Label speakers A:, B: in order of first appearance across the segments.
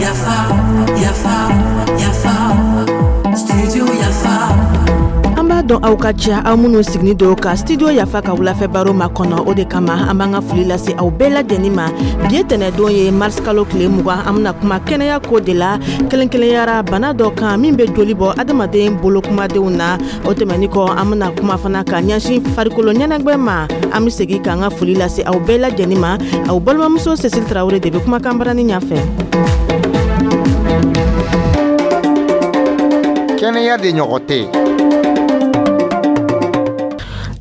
A: Yafa, yafa, yafa, studio Yafa.
B: An b'a dɔn aw ka ca, aw minnu siginin don ka Studio Yafa ka wulafɛ baro makɔnɔ. O de kama, an b'an ka foli lase aw bɛɛ lajɛlen ma. Bi ye tɛnɛdon ye, mars kalo tile 20. An bɛna kuma kɛnɛya ko de la, kɛrɛnkɛrɛnyara bana dɔ kan min bɛ joli bɔ adamaden bolokumadenw na. O tɛmɛni kɔ, an bɛna kuma fana ka ɲɛsin farikolo ɲɛnajɛ ma. An bɛ segin k'an ka foli lase aw bɛɛ lajɛlen ma. Aw balimamuso Cécile Tarawele de bɛ kumakan barani ɲɛfɛ.
C: Kɛnɛya de ɲɔgɔn tɛ.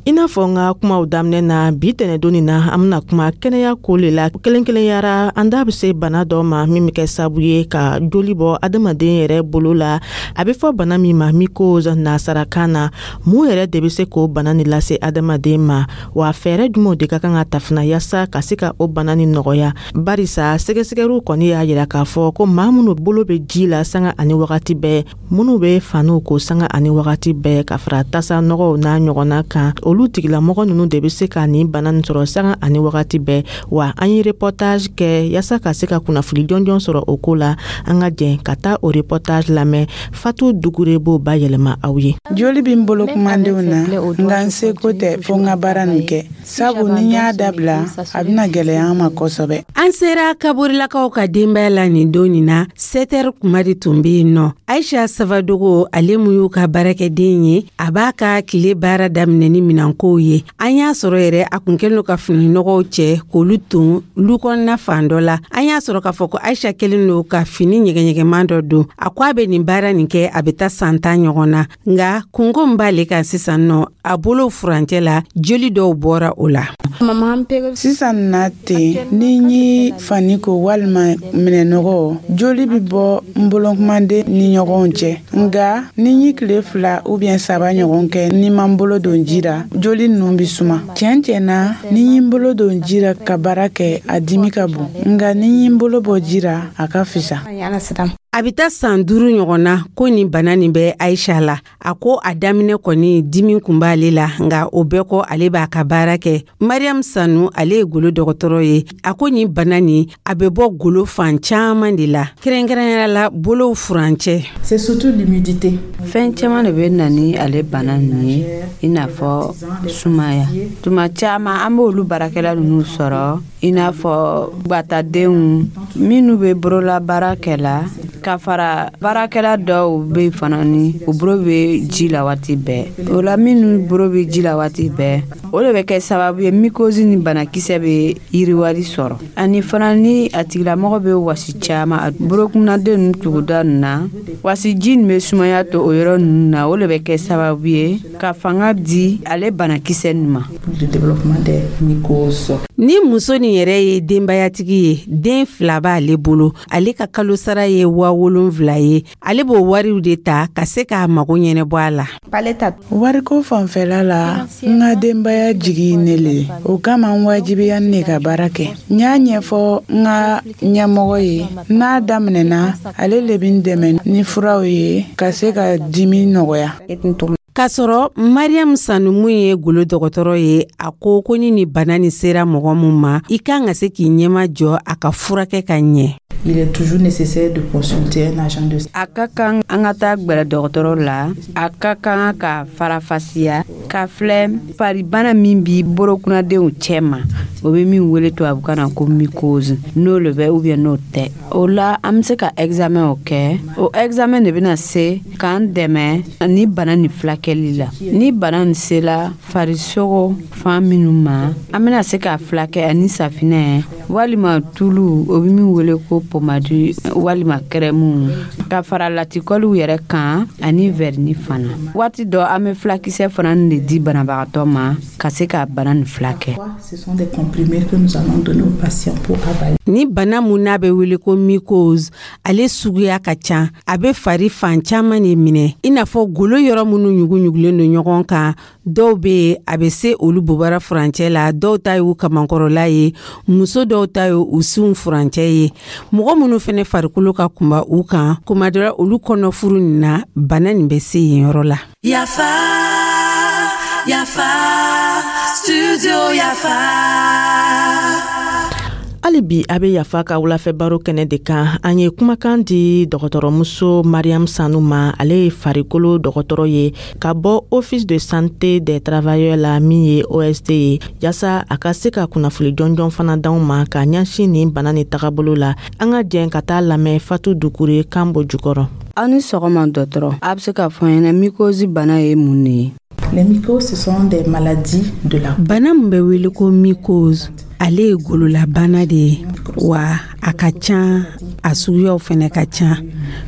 B: I n'a fɔ n ka kumaw daminɛ na, bi tɛnɛdon nin na, an bɛna kuma kɛnɛya ko le la, kɛrɛnkɛrɛnyara an da bɛ se bana dɔ ma min bɛ kɛ sababu ye ka joli bɔ adamaden yɛrɛ bolo la. A bɛ fɔ bana min ma mycose nasarakan na. Mun yɛrɛ de bɛ se k'o bana nin lase adamaden ma wa? Fɛɛrɛ jumɛnw de ka kan ka ta fana yaasa ka se ka o bana nin nɔgɔya? Barisa sɛgɛsɛgɛliw kɔni y'a yira k'a fɔ ko maa minnu bolo bɛ ji la sanga ani wagati bɛɛ, minnu bɛ faniw ko sanga ani wagati bɛɛ, ka fara tasa nɔgɔw n'a ɲɔgɔnna kan, olu tigilamɔgɔ ninnu de bɛ se ka nin bana nin sɔrɔ sanga ani wagati bɛɛ. Wa an ye reportage kɛ yaasa ka se ka kunnafoni jɔnjɔn sɔrɔ o ko la. An ka jɛn ka taa o reportage lamɛn. Fatu Dugure b'o bayɛlɛma aw ye.
D: Joli bɛ n bolo kumadenw na, nka n seko tɛ fo n ka baara nin kɛ, sabu ni n y'a dabila, a bɛna gɛlɛya an ma kosɛbɛ.
E: An sera Kaburilakaw ka denbaya la nin don nin na, 7 heures kuma de tun bɛ yen nɔ. Aisha Savadogo, ale mun y'u ka baarakɛden ye, a b'a ka tile baara daminɛ ni minɛnkow ye. An y'a sɔrɔ yɛrɛ a kun kɛlen don ka fininɔgɔw cɛ k'olu ton lu kɔnɔna fan dɔ la. An y'a sɔrɔ k'a fɔ ko Aisha kɛlen don ka fini ɲɛgɛɲɛgɛman dɔ don. A ko a bɛ nin baara nin kɛ, a bɛ taa san 10 ɲɔgɔn na, nka kunko min b'ale kan sisan nɔ, a bolo furancɛ la, joli dɔw bɔra o la.
D: Sisan na ten, ni n ye fani ko walima minɛnɔgɔ, joli bɛ bɔ n bolokumaden ni ɲɔgɔn cɛ. Nka ni n ye tile 2 ou bien 3 ɲɔgɔn kɛ ni ma n bolo don ji la, joli ninnu bɛ suma. Tiɲɛ tiɲɛ na, ni n ye n bolo don ji la ka baara kɛ, a dimi ka bon, nka ni n ye n bolo bɔ ji la, a ka fisa.
E: A bɛ taa san 5 ɲɔgɔn na ko nin bana nin bɛ Aisha la. A ko a daminɛ kɔni, dimi kun b'ale la, nka o bɛɛ kɔ, ale b'a ka baara kɛ. Mariam Sanu, ale ye golo dɔgɔtɔrɔ ye. A ko nin bana nin, a bɛ bɔ golo fan caman de la, kɛrɛnkɛrɛnya la bolow furancɛ.
F: C'est surtout l'humidité.
G: Fɛn caman de bɛ na ni ale bana ninnu ye, i n'a fɔ sumaya. Tuma caman, an b'olu baarakɛla ninnu sɔrɔ, i n'a fɔ gbatadenw minnu bɛ bololabaara kɛ la, ka fara baarakɛla dɔw bɛ fana ni u bolo bɛ ji la waati bɛɛ. O la, minnu bolo bɛ ji la waati bɛɛ, o de bɛ kɛ sababu ye mycose ni banakisɛ bɛ yiriwali sɔrɔ. Ani fana, ni a tigilamɔgɔ bɛ wasi caman a bolokunnaden ninnu tuguda ninnu na, wasiji nin bɛ sumaya to o yɔrɔ ninnu na, o de bɛ kɛ sababu ye ka fanga di ale banakisɛ nin ma.
F: Le développement des mycoses.
E: Ni muso nin yɛrɛ ye denbayatigi ye, den 2 b'ale bolo. Ale ka kalo sara ye 7000 ye. Ale b'o wariw de ta ka se k'a mago ɲɛnɛbɔ a la.
D: Wariko fanfɛla la, n ka denbaya jigi ne le ye. O kama, n wajibiya ne ka baara kɛ. N y'a ɲɛfɔ n ka ɲɛmɔgɔ ye. N'a daminɛna, ale le bɛ n dɛmɛ ni furaw ye ka se ka dimi nɔgɔya.
E: K'a sɔrɔ Mariam Sanu mun ye golo dɔgɔtɔrɔ ye, a ko ko ni nin bana nin sera mɔgɔ mun ma, i kan ka se k'i ɲɛma jɔ a ka furakɛ ka ɲɛ.
F: Il est toujours nécessaire de consulter un agent de
G: A ka kan an ka taa gwɛrɛ dɔgɔtɔrɔ la. A ka kan ka farafasiya ka filɛ faribana min bi bolokunnadenw cɛ ma, o bɛ min wele tubabukan na ko mycose, n'o le bɛ ou bien n'o tɛ. O la, an bɛ se ka examen o kɛ. O examen de bɛna se k'an dɛmɛ ni bana nin filakɛli la. Ni bana nin sela farisogo fan minnu ma, an bɛna se k'a filakɛ ani safinɛ walima tulu, o bɛ min wele ko pommade, walima crème, ka fara latikɔliw yɛrɛ kan ani vernis fana. Waati dɔ, an bɛ filakisɛ fana de di banabagatɔ ma ka se ka bana nin filakɛ.
F: Ce sont des comprimés que nous allons donner aux patients pour avaler.
E: Ni bana mun n'a bɛ wele ko mycose, ale suguya ka ca. A bɛ fari fan caman de minɛ, i n'a fɔ golo yɔrɔ minnu ɲugu-ɲugulen don ɲɔgɔn kan. Dɔw bɛ yen, a bɛ se olu bobara furancɛ la, dɔw ta y'u kamankɔrɔla ye, muso dɔw ta ye u sinw furancɛ ye. Mɔgɔ minnu fɛnɛ farikolo ka kunba u kan, kuma dɔ la, olu kɔnɔfuru nin na, bana nin bɛ se yen yɔrɔ la.
A: Yafa, Yafa, Studio Yafa.
B: Hali bi a bɛ Yafa ka wulafɛ baro kɛnɛ de kan. An ye kumakan di dɔgɔtɔrɔmuso Mariam Sanu ma. Ale ye farikolo dɔgɔtɔrɔ ye ka bɔ Office de santé des travailleurs la, min ye OST ye, yaasa a ka se ka kunnafoni jɔnjɔn fana d'anw ma ka ɲɛsin nin bana ni tagabolo la. An ka jɛn ka taa lamɛn Fatu Dukure kan bɔ jukɔrɔ.
G: Aw ni sɔgɔma, dɔgɔtɔrɔ. A bɛ se k'a fɔ an ɲɛna, mycose bana ye mun de ye?
F: Les mycoses, ce sont des maladies de la
E: Bana min bɛ wele ko mycose, ale ye gololabana de ye wa a ka ca, a suguyaw fɛnɛ ka ca.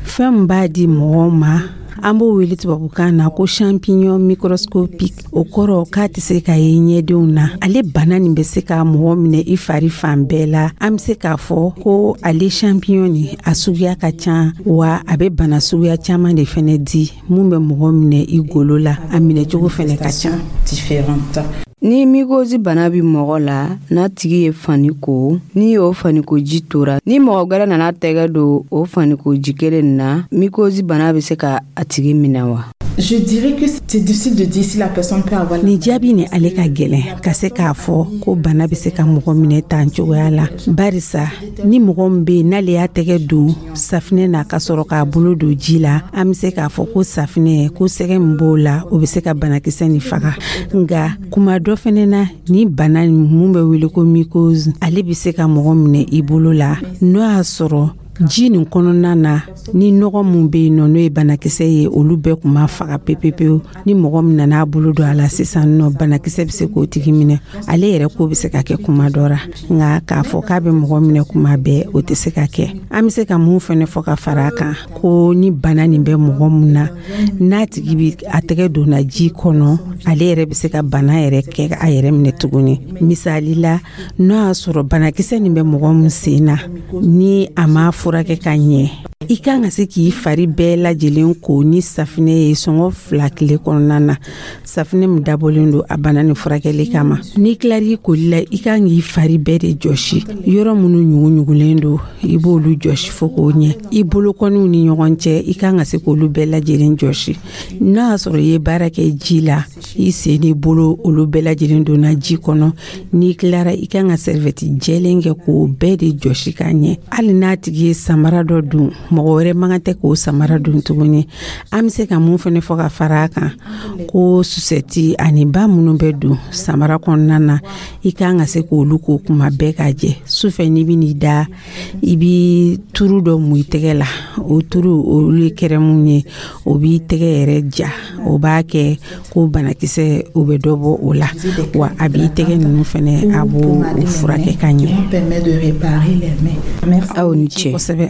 E: Fɛn min b'a di mɔgɔw ma, an b'o wele tubabukan na ko champignon microscopique. O kɔrɔ k'a tɛ se ka ye ɲɛdenw na. Ale bana nin bɛ se ka mɔgɔ minɛ i fari fan bɛɛ la. An bɛ se k'a fɔ ko ale champignon nin, a suguya ka ca wa a bɛ bana suguya caman de fɛnɛ di mun bɛ mɔgɔ minɛ i golo la. A minɛcogo fɛnɛ ka ca.
F: Différentes.
G: Ni mycose bana bɛ mɔgɔ la, n'a tigi ye fani ko, ni o faniko ji tora, ni mɔgɔ gwɛrɛ nana tɛgɛ don o faniko ji kelen na, mycose bana bɛ se ka a tigi minɛ wa?
F: Je dirais que c'est difficile de dire si la personne peut avoir
E: Nin jaabi ni ale ka gɛlɛn ka se k'a fɔ ko bana bɛ se ka mɔgɔ minɛ tan cogoya la, barisa ni mɔgɔ min bɛ yen n'ale y'a tɛgɛ don safinɛ na ka sɔrɔ k'a bolo don ji la, an bɛ se k'a fɔ ko safinɛ ko sɛgɛ min b'o la, o bɛ se ka banakisɛ nin faga. Nka kuma dɔ fɛnɛ na, ni bana mun bɛ wele ko mycose, ale bɛ se ka mɔgɔ minɛ i bolo la, n'o y'a sɔrɔ ji nin kɔnɔna na, ni nɔgɔ mun bɛ yen nɔ, n'o ye banakisɛ ye, olu bɛɛ kun ma faga pepepewu. Ni mɔgɔ min nana bolo don a la sisan nɔ, banakisɛ bɛ se k'o tigi minɛ. Ale yɛrɛ ko bɛ se ka kɛ kuma dɔ ra, nka k'a fɔ k'a bɛ mɔgɔ minɛ kuma bɛɛ, o tɛ se ka kɛ. An bɛ se ka mun fɛnɛ fɔ ka fara a kan, ko ni bana nin bɛ mɔgɔ mun na, n'a tigi bi a tɛgɛ donna ji kɔnɔ, ale yɛrɛ bɛ se ka bana yɛrɛ kɛ a yɛrɛ minɛ tuguni. Misali la, n'o y'a sɔrɔ banakisɛ nin bɛ mɔgɔ min sen na, ni a ma furakɛ ka ɲɛ, i kan ka se k'i fari bɛɛ lajɛlen ko ni safinɛ ye sɔngɔ 2 tile kɔnɔna na, safinɛ min dabɔlen don a bana ni furakɛli kama. N'i tilar'i koli la, i kan k'i fari bɛɛ de jɔsi. Yɔrɔ minnu ɲuguɲugulen don, i b'olu jɔsi fo k'o ɲɛ. I bolokɔniw ni ɲɔgɔn cɛ, i kan ka se k'olu bɛɛ lajɛlen jɔsi. N'a y'a sɔrɔ i ye baara kɛ ji la, i sen n'i bolo, olu bɛɛ lajɛlen donna ji kɔnɔ, n'i tilara, i kan ka serviette jɛlen kɛ k'o bɛɛ de jɔsi ka ɲɛ. Hali n'a tigi ye samara dɔ don, mɔgɔ wɛrɛ man kan tɛ k'o samara don tuguni. An bɛ se ka mun fɛnɛ fɔ ka fara a kan, ko chaussettes ani ba minnu bɛ don samara kɔnɔna na, i kan ka se k'olu ko kuma bɛɛ ka jɛ. Sufɛ, n'i bɛ n'i da, i bi turu dɔ mun i tɛgɛ la. O turu, olu ye crème ye, o b'i tɛgɛ yɛrɛ ja. O b'a kɛ ko banakisɛ, o bɛ dɔ bɔ o la wa a b'i tɛgɛ ninnu fɛnɛ, a b'o furakɛ ka ɲɛ.
F: Permet de réparer les mains. Merci.
G: Aw ni ce.
E: Kosɛbɛ.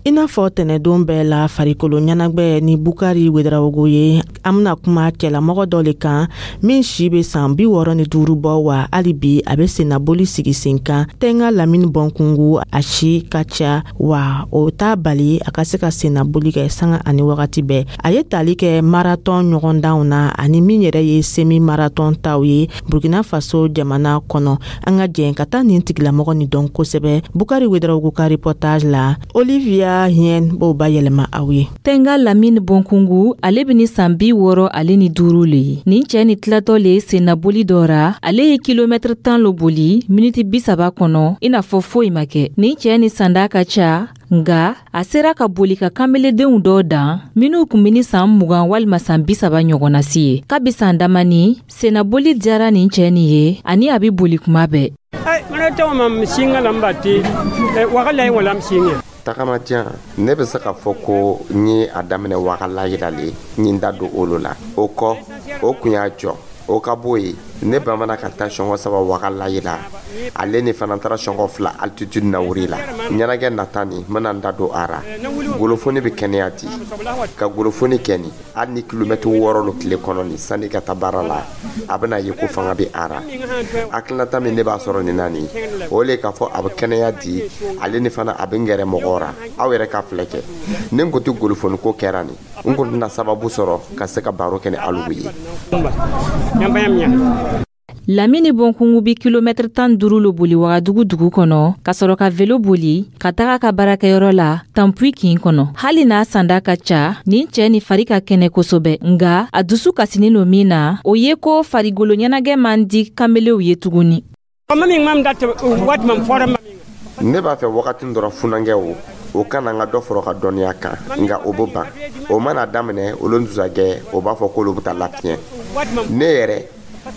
B: I n'a fɔ tɛnɛdon bɛɛ la, farikolo ɲɛnagwɛ ni Bukari Wedarawogo ye, an bena kuma cɛlamɔgɔ dɔ le kan min si be san 65 bɔ, wa hali bi a be sennaboli sigi sen kan. Tɛnga Lamini Bɔnkungu, a si ka ca wa o t'a bali a ka se ka sennaboli kɛ sanga ani wagati bɛɛ. A ye tali kɛ marathon ɲɔgɔndanw na ani min yɛrɛ ye semi marathon taw ye Burkina Faso jamana kɔnɔ. An ka jɛn ka taa nin tigilamɔgɔ ni dɔn kosɛbɛ Bukari Wedarawogo ka reportage la. Olivia Hien b'o bayɛlɛma aw ye.
C: Tɛnga Lamini Bɔnkungu, ale bɛ ni san 65 le ye. Nin cɛɛ ni tilatɔ le sennaboli dɔ ra. Ale ye kilomɛtiri 10 lo boli miniti 30 kɔnɔ, i n'a fɔ foyi ma kɛ. Nin cɛɛ ni sanda ka ca, nga a sera ka boli ka kanbeledenw dɔ dan minw kun be ni san 20 walima san 30 ɲɔgɔnna si ye. Kabi san damani, sennaboli diyara nin cɛɛ nin ye ani a be boli kuma bɛɛ.
H: Tagamajan, ne bɛ se k'a fɔ ko n ye a daminɛ wagala yiralen, n ye n da don olu la. O kɔ, o kun y'a jɔ. O ka bɔ yen, ne bamana ka taa sɔngɔ 3 wagala yira. Ale ni fana taara sɔngɔ 2 altitude na wuri la. Ɲɛnajɛ nata nin, n bɛna n da don a ra. Golofoni bɛ kɛnɛya di ka golofoni kɛ nin, hali ni kilomɛtiri 6 lo tile kɔnɔ nin, sanni ka taa baara la, a bɛna ye ko fanga bɛ a ra. Hakilinata min ne b'a sɔrɔ nin na nin, o le k'a fɔ a bɛ kɛnɛya di, ale ni fana a bɛ n gɛrɛ mɔgɔw ra. Aw yɛrɛ ka filɛ kɛ, ni n kun tɛ golofoni ko kɛra nin, n kun tɛna sababu sɔrɔ ka se ka baro kɛ ni alu ye.
C: Lamini Bonkungu bi kilomɛtiri 15 lo boli Wagadugu dugu kɔnɔ, ka sɔrɔ ka velo boli ka taga ka baarakɛyɔrɔ la Tanpui kin kɔnɔ. Hali n'a sanda ka ca, nin cɛɛ ni fari ka kɛnɛ kosɛbɛ, nga a dusu kasinin lo min na, o ye ko farigolo ɲɛnagɛ man di kanbelew ye tuguni.
H: Ne b'a fɛ wagati dɔrɔn funankɛw o kana n ka dɔ fɔrɔ ka dɔnniya kan, nka o bɛ ban. O mana daminɛ, olu dusagɛ, o b'a fɔ k'olu bɛ taa lafiɲɛ. Ne yɛrɛ,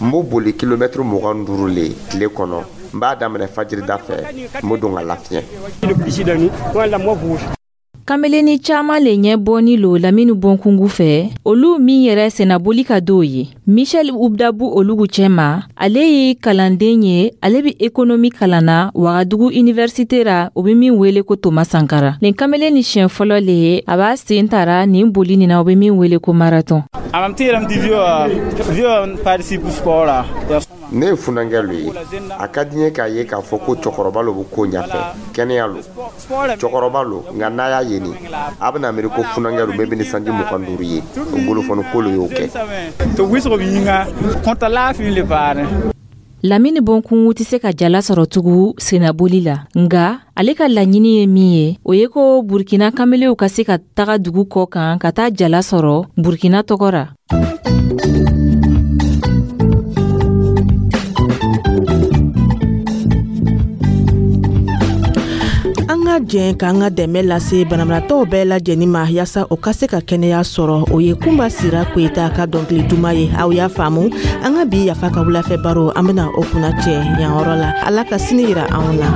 H: n b'o boli kilomɛtiri 25 le tile kɔnɔ. N b'a daminɛ fajirida fɛ, n bɛ don ka lafiɲɛ.
C: Kameleni caaman le ɲɛ bɔni lo Lamini Bonkungu fɛ, olu min yɛrɛ sennaboli ka d'o ye. Michel Ubdabu olugu cɛma, ale ye kalanden ye, ale be ekonomi kalan na Wagadugu université ra, o be min wele ko Toma Sankara. Nin kamelen ni siɲɛ fɔlɔ le ye a b'a sen tara nin boli nin na, o be min wele ko marathon.
H: Ne ye funankɛ lo ye. A ka di n ye k'a ye k'a fɔ ko cɛkɔrɔba lo bɛ ko ɲɛfɛ, kɛnɛya lo. Cɛkɔrɔba lo, nka n'a y'a ye nin, a bɛna miiri ko funankɛ lo min bɛ ni sanji 25 ye. O bolofɔni ko lo y'o kɛ.
C: Lamini Bonkungu tɛ se ka jala sɔrɔ tugun sennaboli la, nga ale ka laɲini ye min ye, o ye ko Burkina kamelew ka se ka taga dugu kɔ kan ka taa jala sɔrɔ Burkina tɔgɔ ra.
B: An ka jɛn k'an ka dɛmɛ lase banabagatɔw bɛɛ lajɛlen ma, yaasa o ka se ka kɛnɛya sɔrɔ. O ye Kunba Sira Koyita ka dɔnkili duman ye. Aw y'a faamu, an ka bi Yafa ka wulafɛ baro, an bena o kunna cɛ yan yɔrɔ la. Ala ka sini yira anw na.